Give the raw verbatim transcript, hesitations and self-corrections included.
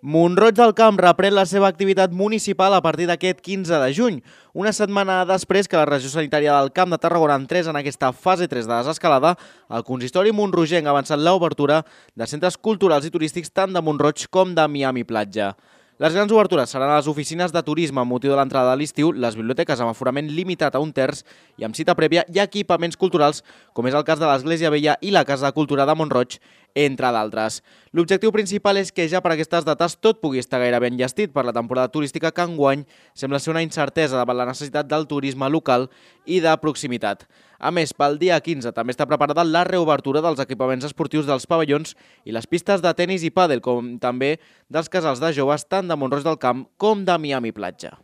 Mont-roig del Camp reprèn la seva activitat municipal a partir d'aquest quinze de juny, una setmana després que la Regió Sanitària del Camp de Tarragona entrés en aquesta fase tres de desescalada, el consistori montrogenc ha avançat l'obertura de centres culturals i turístics tant de Mont-roig com de Miami Platja. Les grans obertures seran a les oficines de turisme amb motiu de l'entrada de l'estiu, les biblioteques amb aforament limitat a un terç i amb cita prèvia i equipaments culturals, com és el cas de l'Església Vella i la Casa de Cultura de Mont-roig, entre d'altres. L'objectiu principal és que ja per aquestes dates tot pugui estar gairebé enllestit per la temporada turística que enguany sembla ser una incertesa davant la necessitat del turisme local i de proximitat. A més, pel dia quinze també està preparada la reobertura dels equipaments esportius dels pavellons i les pistes de tenis i pàdel, com també dels casals de joves tant de Mont-roig del Camp com de Miami Platja.